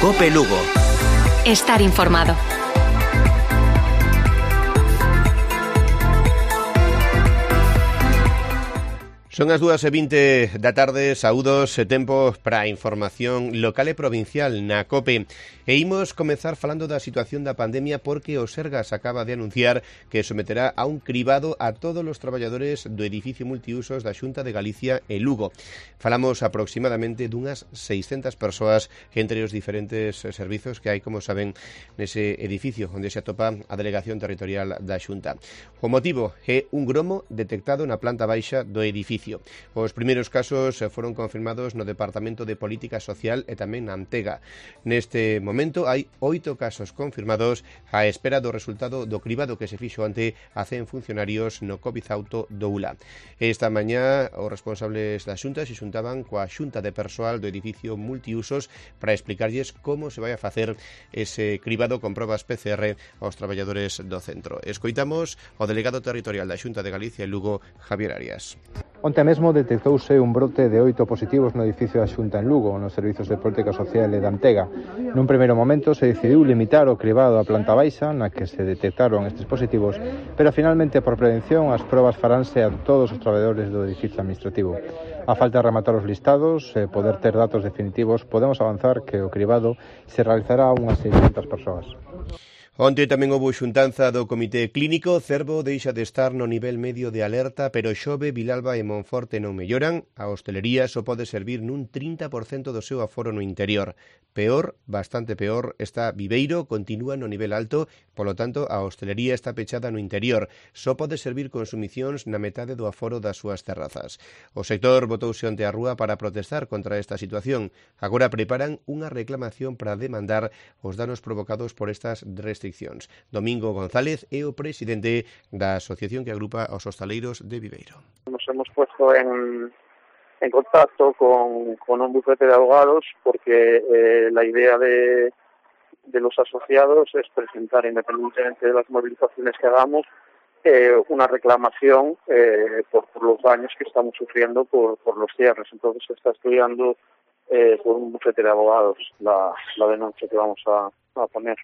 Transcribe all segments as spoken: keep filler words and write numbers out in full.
COPE Lugo. Estar informado. Son as dúas e vinte da tarde, saúdos e tempo para a información local e provincial na COPE. E imos comezar falando da situación da pandemia porque o Sergas acaba de anunciar que someterá a un cribado a todos os traballadores do edificio multiusos da Xunta de Galicia e Lugo. Falamos aproximadamente dunhas seiscentas persoas entre os diferentes servizos que hai, como saben, nese edificio onde se atopa a Delegación Territorial da Xunta. O motivo é un gromo detectado na planta baixa do edificio. Os primeiros casos foron confirmados no Departamento de Política Social e tamén na Antega. Neste momento hai oito casos confirmados á espera do resultado do cribado que se fixo ante a cen funcionarios no COVID auto do U L A. Esta mañá os responsables da Xunta se xuntaban coa Xunta de Persoal do edificio multiusos para explicarlles como se vai a facer ese cribado con probas P C R aos traballadores do centro. Escoitamos o delegado territorial da Xunta de Galicia e Lugo, Javier Arias. Onte mesmo detectouse un brote de oito positivos no edificio da Xunta en Lugo, nos servizos de política social e da Antega. Nun primeiro momento se decidiu limitar o cribado á planta baixa, na que se detectaron estes positivos, pero finalmente por prevención as probas faránse a todos os traballadores do edificio administrativo. A falta de rematar os listados e poder ter datos definitivos, podemos avanzar que o cribado se realizará a unhas seiscentas persoas. Onte tamén houbo xuntanza do Comité Clínico. Cervo deixa de estar no nivel medio de alerta, pero Xove, Vilalba e Monforte non melloran. A hostelería só pode servir nun trinta por cento do seu aforo no interior. Peor, bastante peor, está Viveiro, continúa no nivel alto, polo tanto, a hostelería está pechada no interior. Só pode servir consumicións na metade do aforo das súas terrazas. O sector botouse onte á rúa para protestar contra esta situación. Agora preparan unha reclamación para demandar os danos provocados por estas restriccións. Domingo González é o presidente da asociación que agrupa aos hostaleiros de Viveiro. Nos hemos puesto en, en contacto con, con un bufete de abogados porque eh, la idea de, de los asociados es presentar, independientemente de las movilizaciones que hagamos, eh, una reclamación eh, por, por los daños que estamos sufriendo por, por los cierres. Entonces se está estudiando eh, por un bufete de abogados la, la denuncia que vamos a, a poner.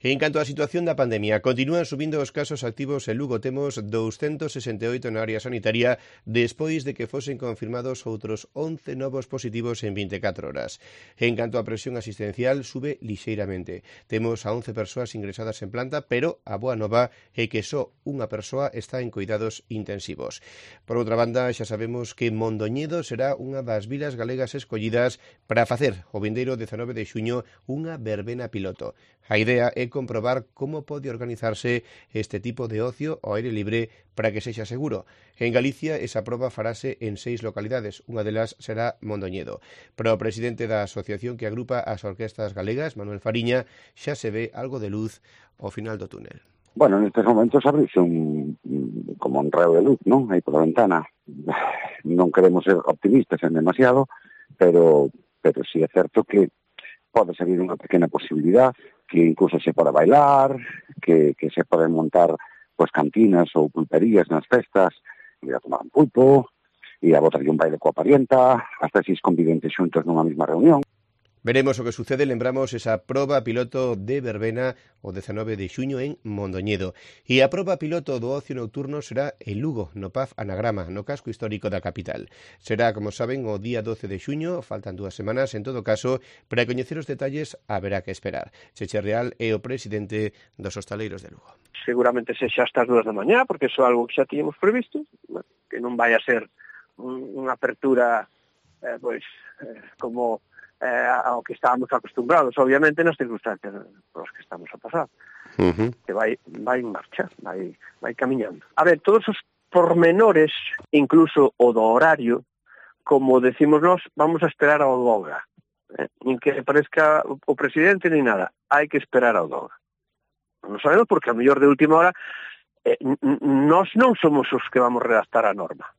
En canto á situación da pandemia, continúan subindo os casos activos en Lugo. Temos doscientos sesenta e oito na área sanitaria despois de que fosen confirmados outros once novos positivos en vinte e catro horas. En canto á presión asistencial, sube lixeiramente. Temos a once persoas ingresadas en planta, pero a boa nova é que só unha persoa está en cuidados intensivos. Por outra banda, xa sabemos que Mondoñedo será unha das vilas galegas escollidas para facer o vindeiro dezanove de xuño unha verbena piloto. A idea é comprobar como pode organizarse este tipo de ocio ao aire libre para que sexa seguro. En Galicia, esa proba farase en seis localidades, unha delas será Mondoñedo. Pero o presidente da asociación que agrupa as orquestas galegas, Manuel Fariña, xa se ve algo de luz ao final do túnel. Bueno, en estes momentos abrirse un, como un reo de luz, non? Aí pola ventana. Non queremos ser optimistas en demasiado, pero, pero sí é certo que pode salir unha pequena posibilidad, que incluso se pode bailar, que, que se poden montar pues, cantinas ou pulperías nas festas, ir a tomar un pulpo, ir a botar un baile coa parienta, hasta seis conviventes xuntos nunha mesma reunión. Veremos o que sucede, lembramos esa proba piloto de verbena o dezanove de xuño en Mondoñedo. E a proba piloto do ocio nocturno será en Lugo, no P A F Anagrama, no casco histórico da capital. Será, como saben, o día doce de xuño, faltan dúas semanas, en todo caso, para coñecer os detalles haberá que esperar. Cheche Real é o presidente dos hostaleiros de Lugo. Seguramente sexa hasta as dúas da mañá, porque iso é algo que xa tíamos previsto, que non vai a ser unha apertura eh, pois, eh, como eh, ao que estábamos acostumbrados, obviamente, nas circunstancias por as que estamos a pasar. Uh-huh. Que vai, vai en marcha, vai, vai camiñando. A ver, todos os pormenores, incluso o do horario, como decimos nós, vamos a esperar ao D O G A. Eh? Nin que parezca o presidente ni nada, hai que esperar ao D O G A. Non sabemos porque a mellor de última hora eh, nós non somos os que vamos redactar a norma.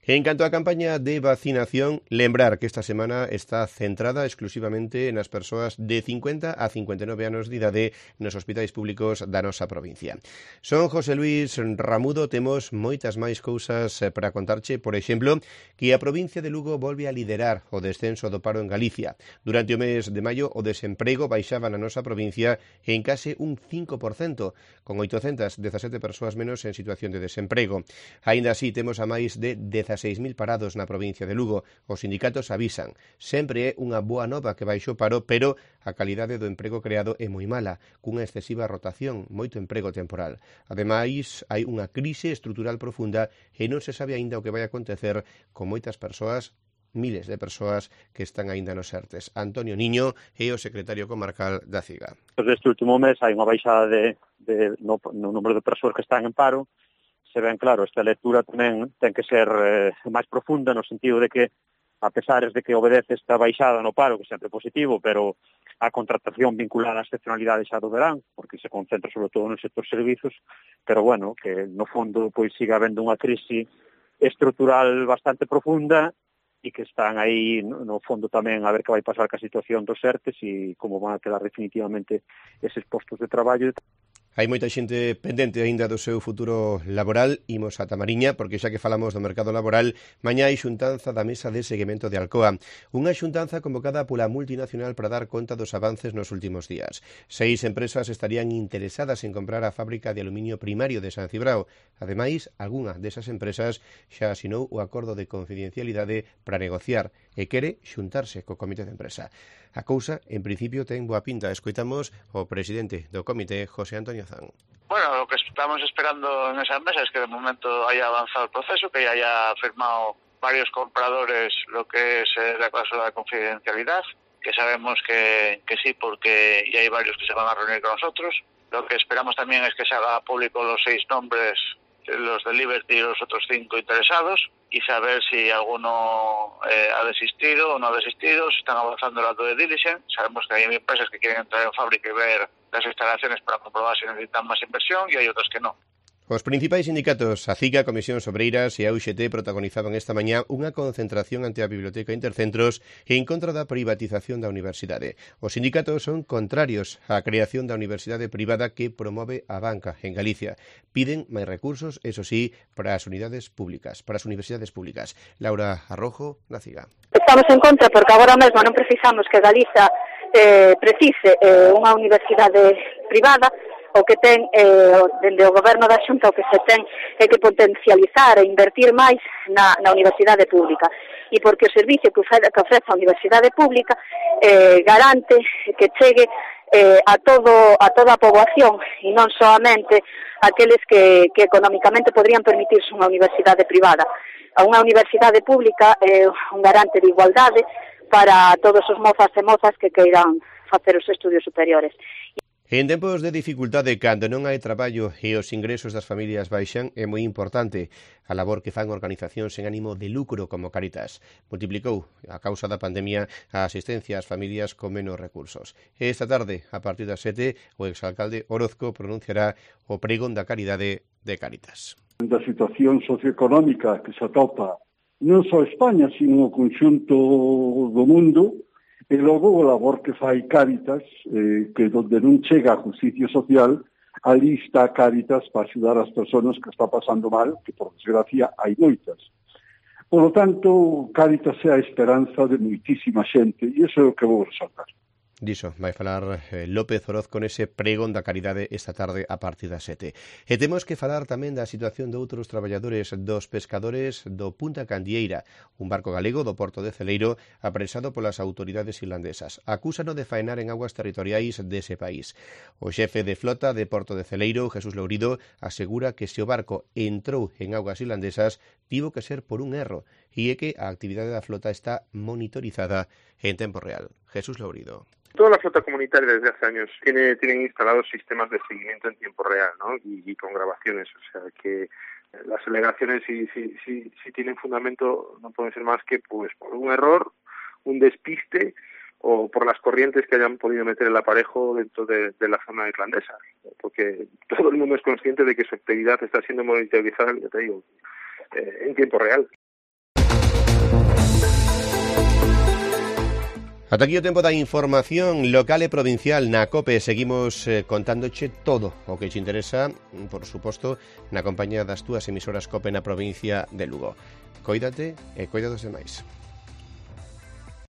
En canto á campaña de vacinación, lembrar que esta semana está centrada exclusivamente nas persoas de cincuenta a cincuenta e nove anos de idade nos hospitais públicos da nosa provincia. Son José Luis Ramudo, temos moitas máis cousas para contarche, por exemplo, que a provincia de Lugo volve a liderar o descenso do paro en Galicia. Durante o mes de maio, o desemprego baixaba na nosa provincia en case un cinco por cento, con oitocentas dezasete persoas menos en situación de desemprego. Aínda así, temos a máis de dezaseis mil parados na provincia de Lugo. Os sindicatos avisan. Sempre é unha boa nova que baixo o paro, pero a calidade do emprego creado é moi mala, cunha excesiva rotación, moito emprego temporal. Ademais, hai unha crise estrutural profunda e non se sabe aínda o que vai acontecer con moitas persoas, miles de persoas que están aínda nos ERTES. Antonio Niño é o secretario comarcal da CIGA. Este último mes hai unha baixada de, de, no, no número de persoas que están en paro. Se ven, claro, esta lectura tamén ten que ser eh, máis profunda no sentido de que, a pesar de que obedece esta baixada no paro, que sempre é positivo, pero a contratación vinculada ás excepcionalidades xa do verán, porque se concentra sobre todo no sector servizos, pero bueno, que no fondo pois siga habendo unha crise estrutural bastante profunda e que están aí no fondo tamén a ver que vai pasar ca situación dos ERTES e como van a quedar definitivamente eses postos de traballo. Hai moita xente pendente aínda do seu futuro laboral. Imos a Tamariña, porque xa que falamos do mercado laboral, mañá hai xuntanza da Mesa de Seguimento de Alcoa. Unha xuntanza convocada pola multinacional para dar conta dos avances nos últimos días. Seis empresas estarían interesadas en comprar a fábrica de aluminio primario de San Cibrao. Ademais, algunha desas empresas xa asinou o acordo de confidencialidade para negociar e quere xuntarse co comité de empresa. A cousa, en principio, ten boa pinta. Escoitamos o presidente do comité, José Antonio Zan. Bueno, lo que estamos esperando en esa mesa es que de momento haya avanzado el proceso, que ya haya firmado varios compradores lo que es la cláusula de confidencialidad, que sabemos que, que sí, porque ya hay varios que se van a reunir con nosotros. Lo que esperamos también es que se haga público los seis nombres, los de Liberty y los otros cinco interesados, y saber si alguno eh, ha desistido o no ha desistido, si están avanzando el acto de diligence. Sabemos que hay empresas que quieren entrar en fábrica y ver las instalaciones para comprobar si necesitan más inversión, y hay otras que no. Os principais sindicatos, a CIGA, Comisións Obreiras e a U X T, protagonizaban esta mañá unha concentración ante a Biblioteca Intercentros en contra da privatización da universidade. Os sindicatos son contrarios á creación da universidade privada que promove a banca en Galicia. Piden máis recursos, eso sí, para as unidades públicas, para as universidades públicas. Laura Arrojo, na CIGA. Estamos en contra porque agora mesmo non precisamos que Galiza eh, precise eh, unha universidade privada. O que ten, eh, dende o goberno da Xunta, o que se ten é que potencializar e invertir máis na, na universidade pública. E porque o servicio que ofrece, que ofrece a universidade pública eh, garante que chegue eh, a todo a toda a poboación e non solamente aqueles que, que económicamente podrían permitirse unha universidade privada. A unha universidade pública é eh, un garante de igualdade para todos os mozas e mozas que queiran facer os estudios superiores. En tempos de dificultade, cando non hai traballo e os ingresos das familias baixan, é moi importante a labor que fan organizacións sen ánimo de lucro como Cáritas. Multiplicou, a causa da pandemia, a asistencia ás familias con menos recursos. E esta tarde, a partir das sete, o exalcalde Orozco pronunciará o pregón da caridade de Cáritas. Da situación socioeconómica que se atopa non só España, sino o conxunto do mundo, e logo o labor que fai Cáritas, eh, que donde non chega a justicia social, ali está Cáritas para axudar as persoas que está pasando mal, que por desgracia hai moitas. Por lo tanto, Cáritas é a esperanza de moitísima xente, e iso é o que vou resaltar. Diso vai falar eh, López Orozco nese pregón da caridade esta tarde a partir das sete. E temos que falar tamén da situación de outros traballadores dos pescadores do Punta Candieira, un barco galego do Porto de Celeiro apresado polas autoridades irlandesas. Acúsano de faenar en aguas territoriais dese país. O xefe de flota de Porto de Celeiro, Jesús Lourido, asegura que se o barco entrou en aguas irlandesas tivo que ser por un erro e é que a actividade da flota está monitorizada en tempo real. Jesús Lourido. Toda la flota comunitaria desde hace años tiene tienen instalados sistemas de seguimiento en tiempo real, ¿no? Y, y con grabaciones, o sea que las alegaciones si, si, si, si tienen fundamento no pueden ser más que pues por un error, un despiste o por las corrientes que hayan podido meter el aparejo dentro de, de la zona irlandesa, porque todo el mundo es consciente de que su actividad está siendo monitorizada, ya te digo, eh, en tiempo real. Ata aquí o tempo da información local e provincial na COPE. Seguimos eh, contándoche todo o que te interesa, por suposto, na compañía das túas emisoras COPE na provincia de Lugo. Cóidate e coida dos demais.